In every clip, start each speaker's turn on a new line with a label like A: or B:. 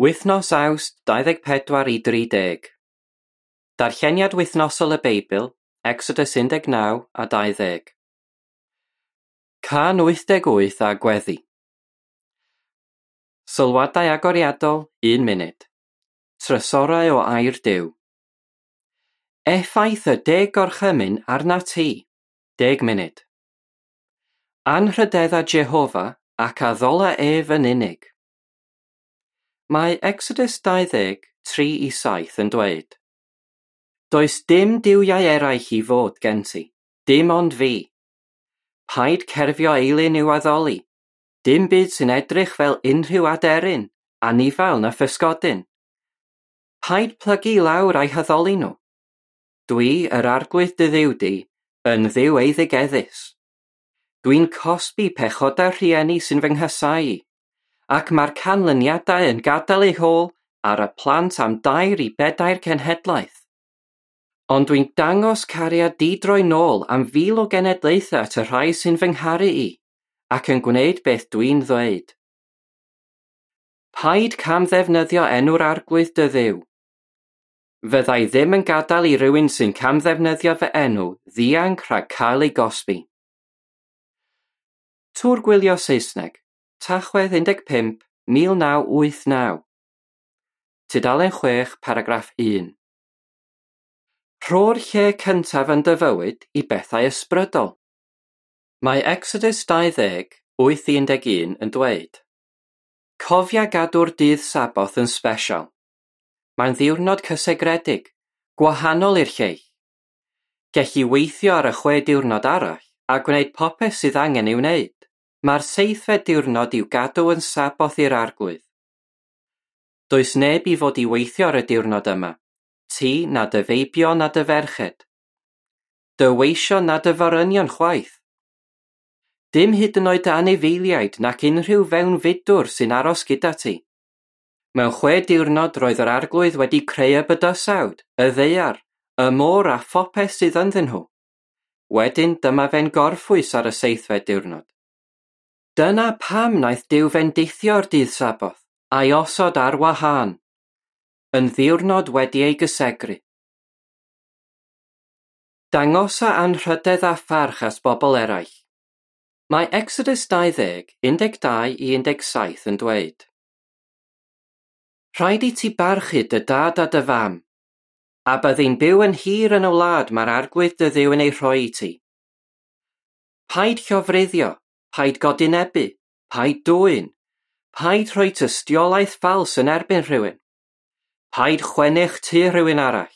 A: Wythnos Awst 24 i 30. Darlleniad wythnosol y Beibl, Exodus 19 a 20. Cân 88 a gweddi. Sylwadau agoriadol, 1 munud. Trysorau o air Duw. Effaith y Deg Gorchymyn arnat ti, 10 munud. Anrhydedda Jehofa ac addola ef yn unig. Mae Exodus 20, 3-7 yn dweud, Does dim duwiau eraill i fod gen ti, dim ond fi. Paid cerfio eilun i'w addoli, dim byd sy'n edrych fel unrhyw aderyn, anifail na physgodyn. Paid plygu i lawr a'u haddoli nhw. Dwi, yr Arglwydd dy Dduw di, yn Dduw eiddigeddus. Dwi'n cosbi pechodau'r rhieni sy'n fy nghasáu i, ac mae'r canlyniadau yn gadael eu hôl ar y plant am 2 i 4 cenhedlaeth. Ond dwi'n dangos cariad di-droi nôl am 1,000 o genedlaethau at y rhai sy'n fy ngharu i, ac yn gwneud beth dwi'n ddweud. Paid camddefnyddio enw'r Arglwydd dy Dduw. Fyddai ddim yn gadael i rywun sy'n camddefnyddio fy enw ddianc rhag cael ei gosbi. Tŵr Gwylio Saesneg, Tachwedd 15, 1989. Tudalen 6, paragraff 1. Rho'r lle cyntaf yn dy fywyd i bethau ysbrydol. Mae Exodus 20, 8-11 yn dweud, Cofia gadw'r dydd Saboth yn sbesial. Mae'n ddiwrnod cysegredig, gwahanol i'r lleill. Gelli weithio ar y 6 diwrnod arall a gwneud popeth sydd angen ei wneud. Mae'r 7fed diwrnod i'w gadw yn Saboth i'r Arglwydd. Does neb i fod i weithio ar y diwrnod yma, ti na dy feibion na dy ferched. Dy weision na dy forynion chwaith. Dim hyd yn oed dy anifeiliaid nac unrhyw fewnfudwr sy'n aros gyda ti. Mewn 6 diwrnod roedd yr Arglwydd wedi creu y bydysawd, y ddaear, y môr a phopeth sydd ynddyn nhw. Wedyn dyma fe'n gorffwys ar y 7fed diwrnod. Dyna pam wnaeth Duw fendithio'r dydd Saboth a'i osod ar wahân, yn ddiwrnod wedi ei gysegru. Dangosa anrhydedd a pharch at bobl eraill. Mae Exodus 20, 12-17 yn dweud, Rhaid i ti barchu dy dad a dy fam, a byddi'n byw yn hir yn y wlad mae'r Arglwydd dy Dduw yn ei rhoi i ti. Paid llofruddio, paid godinebu, paid dwyn, paid rhoi tystiolaeth ffals yn erbyn rhywun, paid chwennych tŷ rhywun arall,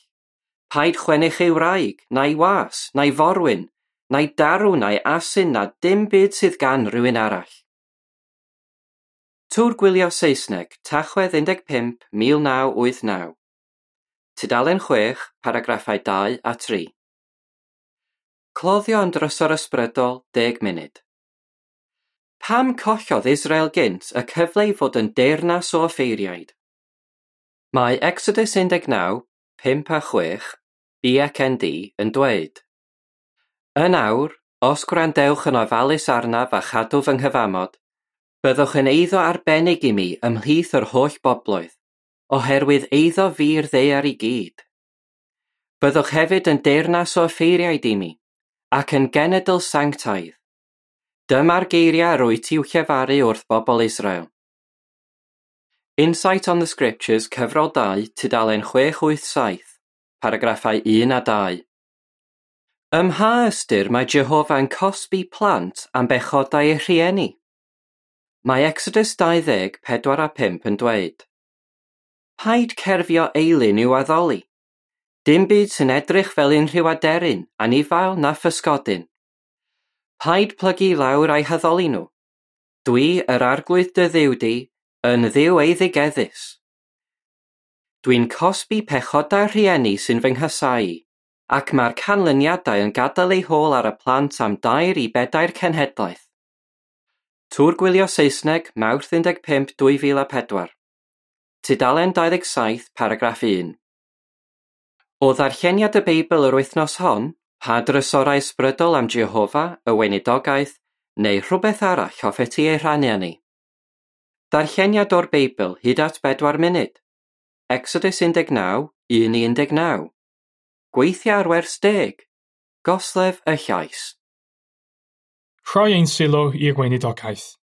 A: paid chwennych ei wraig, na'i was, na'i forwyn, na'i darw, na'i asyn, na dim byd sydd gan rhywun arall. Tŵr Gwylio Saesneg, Tachwedd 15, 1989. Tudalen 6, paragraffau 2 a 3. Cloddio am drysor ysbrydol, 10 munud. Pam collodd Israel gynt y cyfle i fod yn deyrnas o offeiriaid? Mae Exodus 19, 5 a 6, BCND yn dweud, Yn awr, os gwrandewch yn ofalus arnaf a chadw fy nghyfamod, byddwch yn eiddo arbennig i mi ymhlith yr holl bobloedd, oherwydd eiddo fi'r ddaear i gyd. Byddwch hefyd yn deyrnas o offeiriaid i mi, ac yn genedl sanctaidd. Dyma'r geiriau rwyt i'w llefaru wrth bobl Israel. Insight on the Scriptures, cyfrol 2, tudalen 687, paragraffau 1 a 2. Ym mha ystyr mae Jehofa yn cosbi plant am bechodau eu rhieni? Mae Exodus 20, 4 a 5 yn dweud, Paid cerfio eilun i'w addoli. Dim byd sy'n edrych fel unrhyw aderyn, anifail na physgodyn. Paid plygu i lawr a'u haddoli nhw. Dwi, yr Arglwydd dy Dduw di, yn Dduw eiddigeddus. Dwi'n cosbi pechodau'r rhieni sy'n fy nghasáu i, ac mae'r canlyniadau yn gadael eu hôl ar y plant am 2 i 4 cenhedlaeth. Tŵr Gwylio Saesneg, Mawrth 15, 2004. Tudalen 27, paragraff 1. O ddarlleniad y Beibl yr wythnos hon, pa drysorau ysbrydol am Jehofa, y weinidogaeth, neu rhywbeth arall hoffet ti ei rhannu â ni? Darlleniad o'r Beibl hyd at 4 munud. Exodus 19, 1 i 19. Gweithio ar wers 10. Goslef y llais.
B: Rhoi ein sylw i'r weinidogaeth.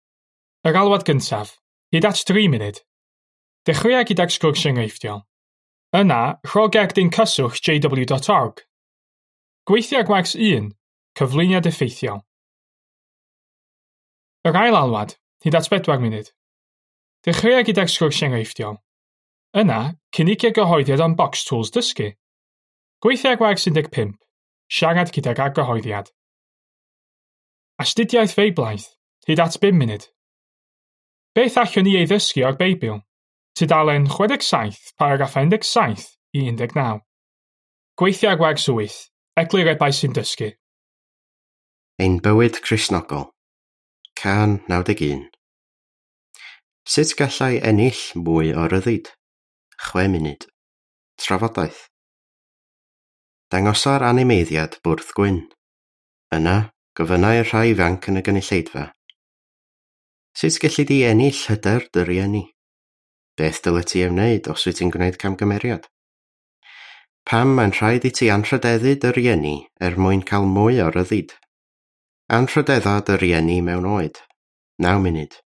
B: Yr alwad gyntaf, hyd at 3 munud. Dechreua gydag sgwrs enghreifftiol. Yna, rho gerdyn cyswllt jw.org. Gweithio ar gwers 1, cyflwyniad effeithiol. Yr ail alwad, hyd at 4 munud. Dechreua gydag sgwrs enghreifftiol. Yna, cynigia gyhoeddiad am Box Tools Dysgu. Gweithio ar gwers 15, siarad gydag argyhoeddiad. Astudiaeth Feiblaidd, hyd at 5 munud. Beth allwn ni ei ddysgu o'r Beibl? Tudalen 67, paragraff 17 i 19. Gweithio ar gwers 8, eglurebau sy'n dysgu.
C: Ein bywyd Cristnogol. Cân 91. Sut gallai ennill mwy o ryddid? 6 munud. Trafodaeth. Dangosa'r animeiddiad bwrdd gwyn. Yna, gofynnai'r rhai ifanc yn y gynulleidfa. Sut gelli di ennill hyder dy rieni? Beth dylet ti ei wneud os wyt ti'n gwneud camgymeriad? Pam mae'n rhaid i ti anrhydeddu dy rieni er mwyn cael mwy o ryddid? Anrhydedda dy rieni mewn oed. 9 munud.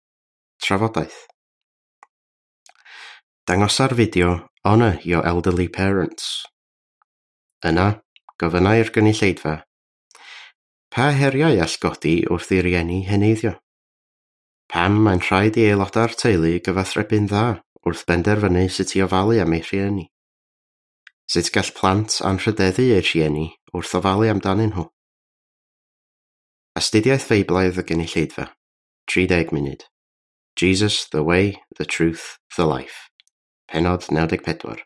C: Trafodaeth. Dangosa'r fideo Honour Your Elderly Parents. Yna, gofynnai'r gynulleidfa. Pa heriau all godi wrth i rieni heneiddio? Pam mae'n rhaid i aelodau'r teulu gyfathrebu'n dda wrth benderfynu sut i ofalu am eu rhieni? Sut gall plant anrhydeddu eu rhieni wrth ofalu amdanyn nhw? Astudiaeth Feiblaidd y gynulleidfa. 30 munud. Jesus, the way, the truth, the life. Pennod 94.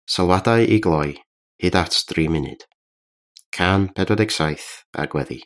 C: Sylwadau i gloi, hyd at 3 munud. Cân 47 a gweddi.